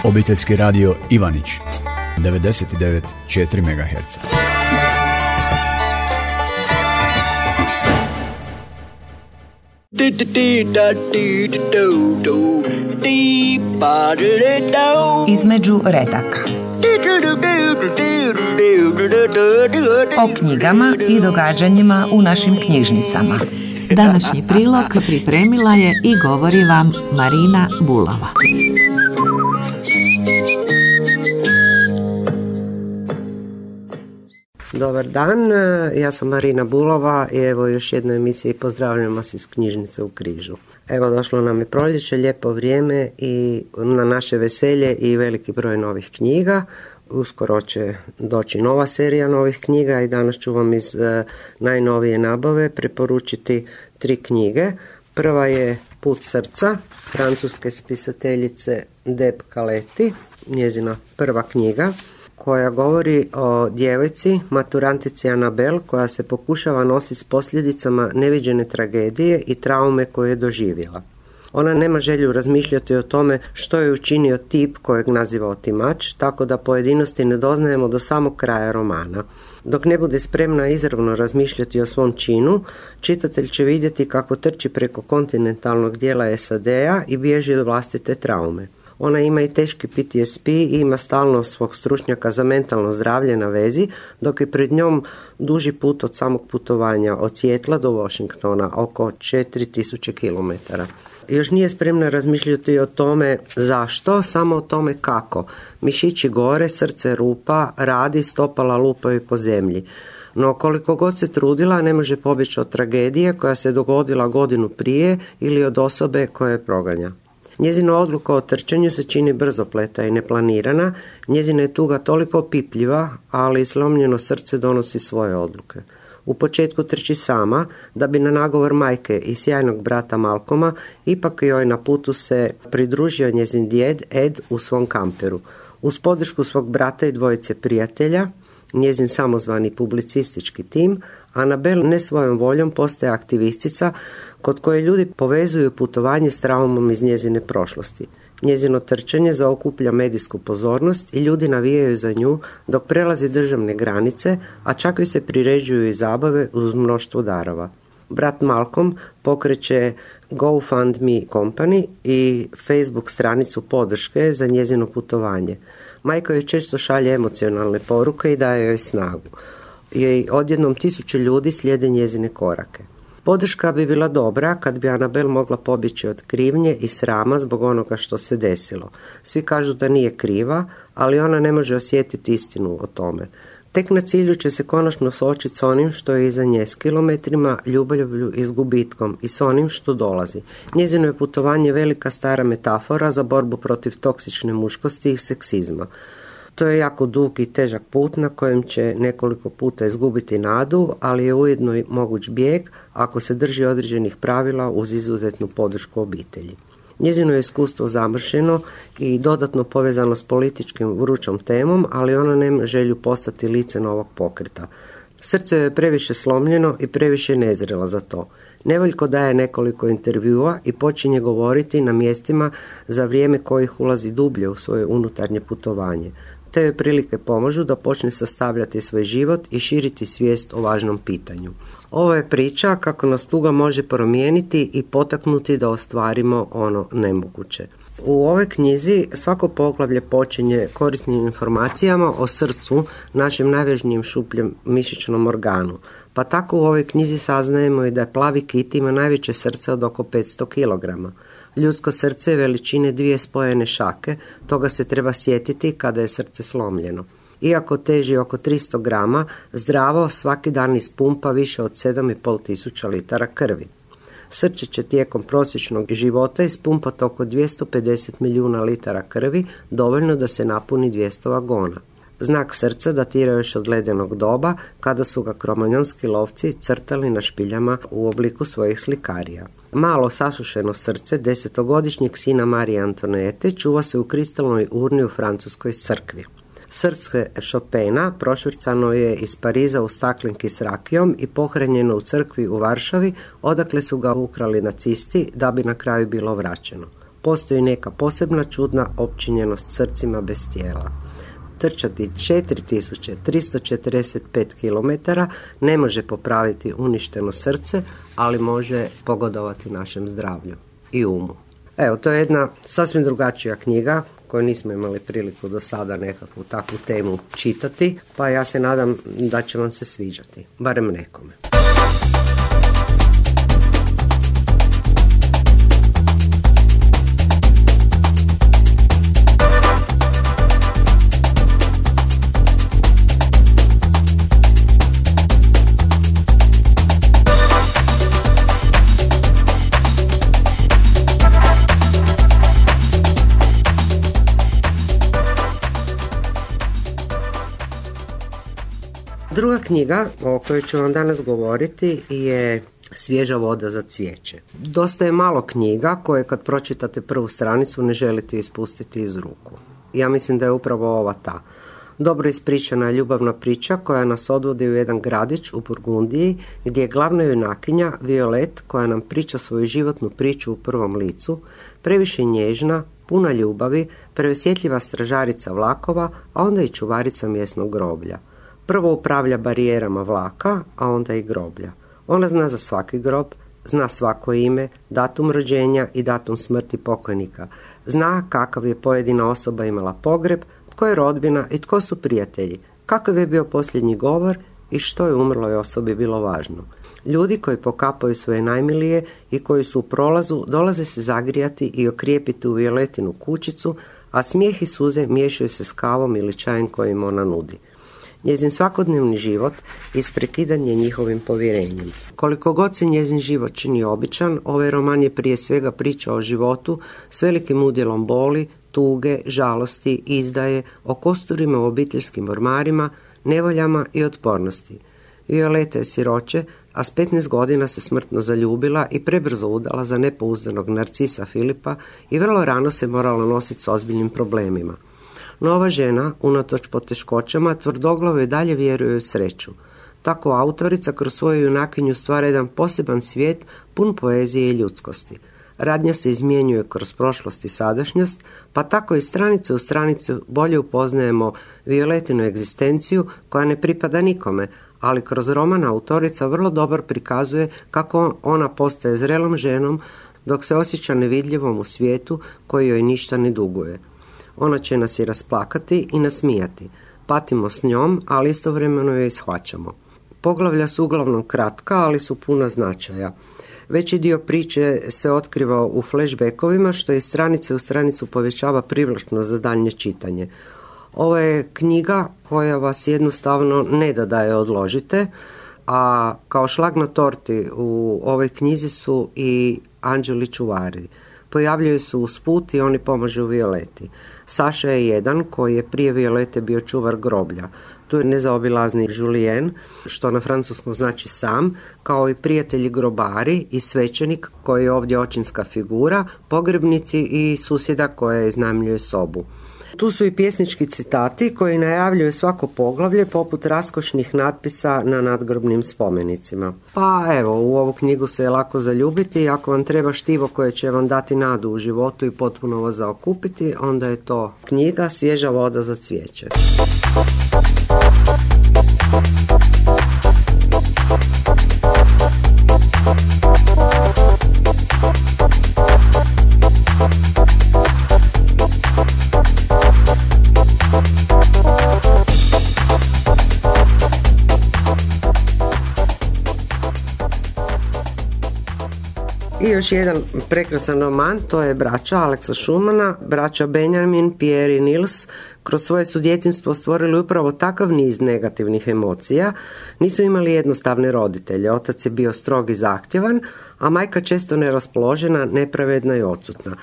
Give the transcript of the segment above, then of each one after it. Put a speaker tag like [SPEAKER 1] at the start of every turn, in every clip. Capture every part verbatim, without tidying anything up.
[SPEAKER 1] Obiteljski radio Ivanić devedeset devet zarez četiri megaherca.
[SPEAKER 2] Između redaka. O knjigama i događanjima u našim knjižnicama.
[SPEAKER 3] Današnji prilog pripremila je i govori vam Marina Bulova.
[SPEAKER 4] Dobar dan, ja sam Marina Bulova i evo još jednoj emisiji pozdravljam vas iz knjižnice u Križu. Evo došlo nam je proljeće, lijepo vrijeme i na naše veselje i veliki broj novih knjiga. Uskoro će doći nova serija novih knjiga i danas ću vam iz uh, najnovije nabave preporučiti tri knjige. Prva je Put srca, francuske spisateljice Deb Caletti, njezina prva knjiga, koja govori o djevojci, maturantici Anabel, koja se pokušava nositi s posljedicama neviđene tragedije i traume koje je doživjela. Ona nema želju razmišljati o tome što je učinio tip kojeg naziva otimač, tako da pojedinosti ne doznajemo do samog kraja romana. Dok ne bude spremna izravno razmišljati o svom činu, čitatelj će vidjeti kako trči preko kontinentalnog dijela es a de-a i bježi od vlastite traume. Ona ima i teški P T S P i ima stalno svog stručnjaka za mentalno zdravlje na vezi, dok je pred njom duži put od samog putovanja od Sijetla do Washingtona, oko četiri tisuće kilometara. Još nije spremna razmišljati o tome zašto, samo o tome kako. Mišići gore, srce rupa, radi, stopala lupaju po zemlji. No koliko god se trudila, ne može pobjeći od tragedije koja se dogodila godinu prije ili od osobe koja je proganja. Njezina odluka o trčanju se čini brzopleta i neplanirana, njezina je tuga toliko opipljiva, ali slomljeno srce donosi svoje odluke. U početku trči sama, da bi na nagovor majke i sjajnog brata Malcolma ipak joj na putu se pridružio njezin djed Ed u svom kamperu. Uz podršku svog brata i dvojice prijatelja, njezin samozvani publicistički tim, Anabel ne svojom voljom postaje aktivistica kod koje ljudi povezuju putovanje s traumom iz njezine prošlosti. Njezino trčanje zaokuplja medijsku pozornost i ljudi navijaju za nju dok prelazi državne granice, a čak joj se priređuju i zabave uz mnoštvo darova. Brat Malcolm pokreće GoFundMe Company i Facebook stranicu podrške za njezino putovanje. Majka joj često šalje emocionalne poruke i daje joj snagu. I odjednom tisuće ljudi slijede njezine korake. Podrška bi bila dobra kad bi Anabel mogla pobjeći od krivnje i srama zbog onoga što se desilo. Svi kažu da nije kriva, ali ona ne može osjetiti istinu o tome. Tek na cilju će se konačno suočiti s onim što je iza nje, s kilometrima, ljubavlju i s gubitkom i s onim što dolazi. Njezino je putovanje velika stara metafora za borbu protiv toksične muškosti i seksizma. To je jako dug i težak put na kojem će nekoliko puta izgubiti nadu, ali je ujedno i moguć bijeg ako se drži određenih pravila uz izuzetnu podršku obitelji. Njezino je iskustvo zamršeno i dodatno povezano s političkim vrućom temom, ali ona nema želju postati lice novog pokreta. Srce je previše slomljeno i previše nezrela za to. Nevoljko daje nekoliko intervjua i počinje govoriti na mjestima za vrijeme kojih ulazi dublje u svoje unutarnje putovanje. Te joj prilike pomažu da počne sastavljati svoj život i širiti svijest o važnom pitanju. Ovo je priča kako nas tuga može promijeniti i potaknuti da ostvarimo ono nemoguće. U ovoj knjizi svako poglavlje počinje korisnim informacijama o srcu, našem najvažnijem šupljem mišićnom organu. Pa tako u ovoj knjizi saznajemo i da je plavi kit ima najveće srce od oko petsto kilograma. Ljudsko srce je veličine dvije spojene šake, toga se treba sjetiti kada je srce slomljeno. Iako teži oko tristo grama, zdravo svaki dan ispumpa više od sedam i pol tisuća litara krvi. Srce će tijekom prosječnog života ispumpati oko dvjesto pedeset milijuna litara krvi, dovoljno da se napuni dvjesto vagona. Znak srca datira još od ledenog doba, kada su ga kromanjonski lovci crtali na špiljama u obliku svojih slikarija. Malo sasušeno srce desetogodišnjeg sina Marije Antonete čuva se u kristalnoj urni u francuskoj crkvi. Srce Chopina prošvrcano je iz Pariza u staklenki s rakijom i pohranjeno u crkvi u Varšavi, odakle su ga ukrali nacisti da bi na kraju bilo vraćeno. Postoji neka posebna čudna opčinjenost srcima bez tijela. Trčati četiri tisuće tristo četrdeset pet kilometara ne može popraviti uništeno srce, ali može pogodovati našem zdravlju i umu. Evo, to je jedna sasvim drugačija knjiga koju nismo imali priliku do sada nekakvu takvu temu čitati, pa ja se nadam da će vam se sviđati, barem nekome. Druga knjiga o kojoj ću vam danas govoriti je Svježa voda za cvijeće. Dosta je malo knjiga koje kad pročitate prvu stranicu ne želite ispustiti iz ruku. Ja mislim da je upravo ova ta. Dobro ispričana ljubavna priča koja nas odvodi u jedan gradić u Burgundiji gdje je glavna junakinja Violet koja nam priča svoju životnu priču u prvom licu, previše nježna, puna ljubavi, preosjetljiva stražarica vlakova, a onda i čuvarica mjesnog groblja. Prvo upravlja barijerama vlaka, a onda i groblja. Ona zna za svaki grob, zna svako ime, datum rođenja i datum smrti pokojnika. Zna kakav je pojedina osoba imala pogreb, tko je rodbina i tko su prijatelji, kakav je bio posljednji govor i što je umrloj osobi bilo važno. Ljudi koji pokapaju svoje najmilije i koji su u prolazu dolaze se zagrijati i okrijepiti u Violetinu kućicu, a smijeh i suze miješaju se s kavom ili čajem koji im ona nudi. Njezin svakodnevni život isprekidan je njihovim povjerenjem. Koliko god se njezin život čini običan, ovaj roman je prije svega priča o životu s velikim udjelom boli, tuge, žalosti, izdaje, o kosturima u obiteljskim ormarima, nevoljama i otpornosti. Violeta je siroče, a s petnaest godina se smrtno zaljubila i prebrzo udala za nepouzdanog narcisa Filipa i vrlo rano se morala nositi s ozbiljnim problemima. No ova žena, unatoč poteškoćama, tvrdoglavo i dalje vjeruje u sreću. Tako autorica kroz svoju junakinju stvara jedan poseban svijet pun poezije i ljudskosti. Radnja se izmjenjuje kroz prošlost i sadašnjost, pa tako i stranice u stranicu bolje upoznajemo Violetinu egzistenciju koja ne pripada nikome, ali kroz roman autorica vrlo dobro prikazuje kako ona postaje zrelom ženom dok se osjeća nevidljivom u svijetu koji joj ništa ne duguje. Ona će nas i rasplakati i nasmijati. Patimo s njom, ali istovremeno joj shvaćamo. Poglavlja su uglavnom kratka, ali su puna značaja. Veći dio priče se otkriva u flashbackovima, što iz stranice u stranicu povećava privlačnost za daljnje čitanje. Ovo je knjiga koja vas jednostavno ne da da je odložite, a kao šlag na torti u ovoj knjizi su i anđeli čuvari. Pojavljaju se usput i oni pomažu Violeti. Saša je jedan koji je prije Violete bio čuvar groblja. Tu je nezaobilazni Julien, što na francuskom znači sam, kao i prijatelji grobari i svećenik koji je ovdje očinska figura, pogrebnici i susjeda koja iznajmljuje sobu. Tu su i pjesnički citati koji najavljuju svako poglavlje poput raskošnih natpisa na nadgrobnim spomenicima. Pa evo, u ovu knjigu se je lako zaljubiti i ako vam treba štivo koje će vam dati nadu u životu i potpuno vas zaokupiti, onda je to knjiga Svježa voda za cvijeće. I još jedan prekrasan roman, to je Braća Aleksa Šumana. Braća Benjamin, Pierre i Nils kroz svoje su djetinjstvo stvorili upravo takav niz negativnih emocija. Nisu imali jednostavne roditelje. Otac je bio strog i zahtjevan, a majka često neraspoložena, nepravedna i odsutna.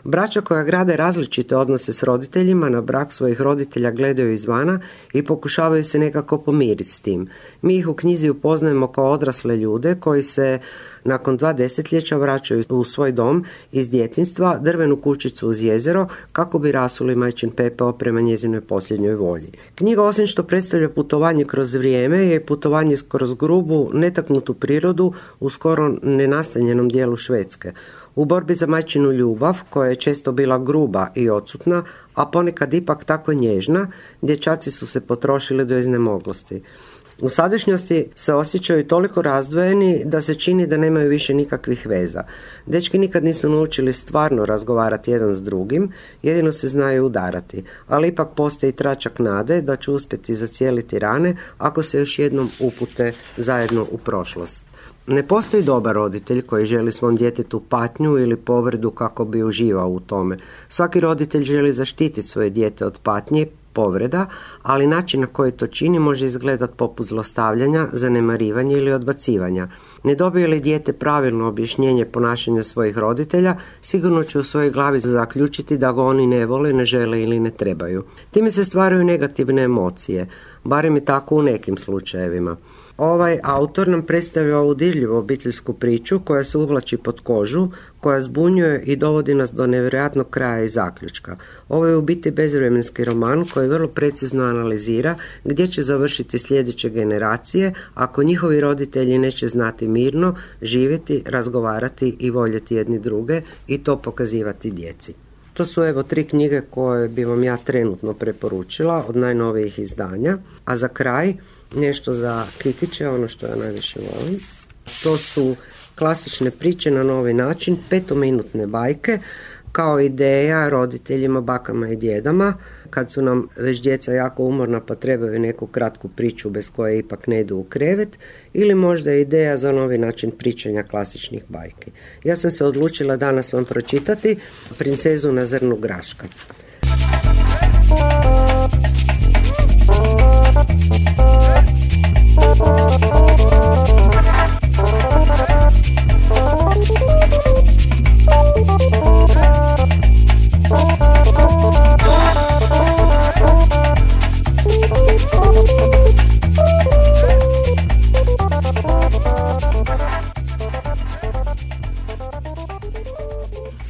[SPEAKER 4] Braća koja grade različite odnose s roditeljima na brak svojih roditelja gledaju izvana i pokušavaju se nekako pomiriti s tim. Mi ih u knjizi upoznajemo kao odrasle ljude koji se nakon dva desetljeća vraćaju u svoj dom iz djetinjstva, drvenu kućicu uz jezero, kako bi rasuli majčin pepeo prema njezinoj posljednjoj volji. Knjiga, osim što predstavlja putovanje kroz vrijeme, je putovanje kroz grubu, netaknutu prirodu u skoro nenastanjenom dijelu Švedske. U borbi za majčinu ljubav, koja je često bila gruba i odsutna, a ponekad ipak tako nježna, dječaci su se potrošili do iznemoglosti. U sadašnjosti se osjećaju toliko razdvojeni da se čini da nemaju više nikakvih veza. Dečki nikad nisu naučili stvarno razgovarati jedan s drugim, jedino se znaju udarati, ali ipak postoji tračak nade da će uspjeti zacijeliti rane ako se još jednom upute zajedno u prošlost. Ne postoji dobar roditelj koji želi svom djetetu patnju ili povredu kako bi uživao u tome. Svaki roditelj želi zaštititi svoje dijete od patnje, povreda, ali način na koji to čini može izgledati poput zlostavljanja, zanemarivanja ili odbacivanja. Ne dobije li dijete pravilno objašnjenje ponašanja svojih roditelja, sigurno će u svojoj glavi zaključiti da ga oni ne vole, ne žele ili ne trebaju. Time se stvaraju negativne emocije, barem je tako u nekim slučajevima. Ovaj autor nam predstavlja ovu dirljivu obiteljsku priču koja se uvlači pod kožu, koja zbunjuje i dovodi nas do nevjerojatnog kraja i zaključka. Ovo je u biti bezvremenski roman koji vrlo precizno analizira gdje će završiti sljedeće generacije ako njihovi roditelji neće znati mirno živjeti, razgovarati i voljeti jedni druge i to pokazivati djeci. To su evo tri knjige koje bi vam ja trenutno preporučila od najnovijih izdanja, a za kraj nešto za Kikiće, ono što ja najviše volim. To su klasične priče na novi način, petominutne bajke, kao ideja roditeljima, bakama i djedama, kad su nam već djeca jako umorna pa trebaju neku kratku priču bez koje ipak ne idu u krevet, ili možda ideja za novi način pričanja klasičnih bajki. Ja sam se odlučila danas vam pročitati Princezu na zrnu graška.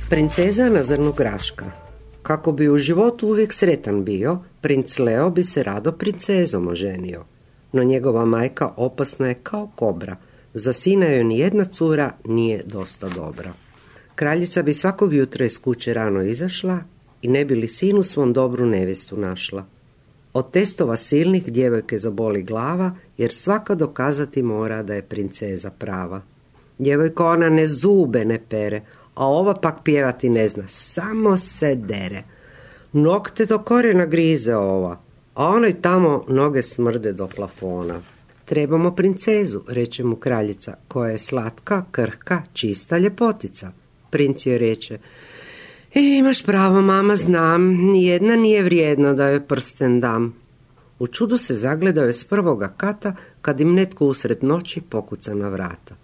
[SPEAKER 4] Princeza na zrnu graška. Kako bi u životu uvijek sretan bio, princ Leo bi se rado princezom oženio. No njegova majka opasna je kao kobra. Za sina joj ni jedna cura nije dosta dobra. Kraljica bi svakog jutra iz kuće rano izašla i ne bi li sinu svom dobru nevjestu našla. Od testova silnih djevojke zaboli glava, jer svaka dokazati mora da je princeza prava. Djevojka ona ne zube ne pere, a ova pak pjevati ne zna, samo se dere. Nokte do korijena grize ova, a onoj tamo noge smrde do plafona. Trebamo princezu, reče mu kraljica, koja je slatka, krhka, čista ljepotica. Princ joj reče, e, imaš pravo, mama, znam, nijedna nije vrijedna da joj prsten dam. U čudu se zagledao je s prvoga kata, kad im netko usred noći pokuca na vrata.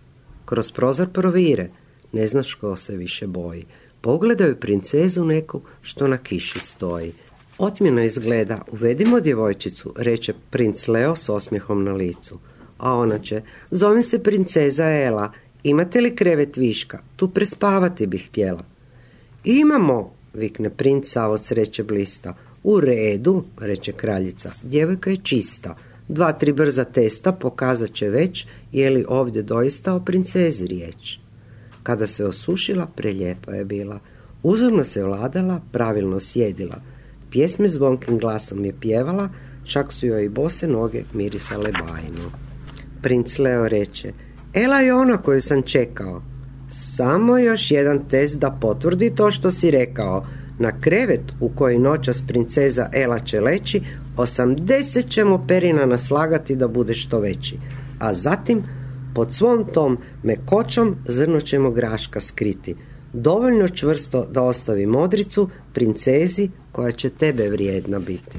[SPEAKER 4] Kroz prozor provire, ne znaš ko se više boji. Pogledaju princezu neku što na kiši stoji. Otmjeno izgleda, uvedimo djevojčicu, reče princ Leo s osmijehom na licu. A ona će, zovem se princeza Ela, imate li krevet viška, tu prespavati bih htjela. Imamo, vikne princ sav od sreće blista. U redu, reče kraljica, djevojka je čista. Dva, tri brza testa pokazat će već je li ovdje doista o princezi riječ. Kada se osušila, prelijepa je bila. Uzorno se vladala, pravilno sjedila. Pjesme zvonkim glasom je pjevala, čak su joj i bose noge mirisale bajno. Princ Leo reče, Ela je ona koju sam čekao. Samo još jedan test da potvrdi to što si rekao. Na krevet u koji noćas princeza Ela će leći, osamdeset ćemo perina naslagati da bude što veći. A zatim, pod svom tom mekoćom zrno ćemo graška skriti. Dovoljno čvrsto da ostavi modricu princezi koja će tebe vrijedna biti.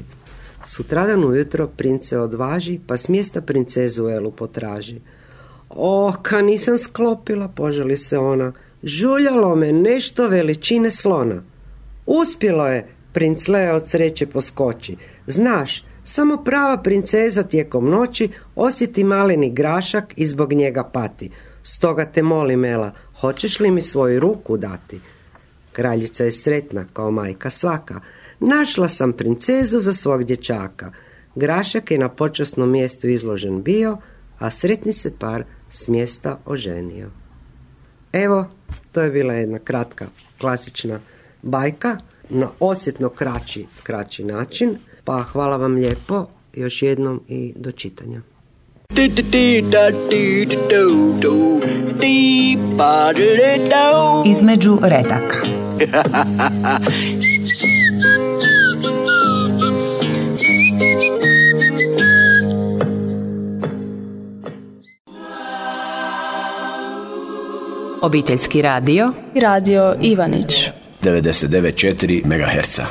[SPEAKER 4] Sutradan ujutro princ se odvaži pa s mjesta princezu Elu potraži. O, ka nisam sklopila, požali se ona. Žuljalo me nešto veličine slona. Uspjelo je, princ Leo od sreće poskoči. Znaš, samo prava princeza tijekom noći osjeti maleni grašak i zbog njega pati. Stoga te molim, Ela, hoćeš li mi svoju ruku dati? Kraljica je sretna kao majka svaka. Našla sam princezu za svog dječaka. Grašak je na počasnom mjestu izložen bio, a sretni se par s mjesta oženio. Evo, To je bila jedna kratka, klasična bajka na osjetno kraći, kraći način. Pa hvala vam lijepo još jednom i do čitanja.
[SPEAKER 2] Između redaka.
[SPEAKER 3] Obiteljski radio
[SPEAKER 5] Radio Ivanić
[SPEAKER 1] devedeset devet zarez četiri megaherca.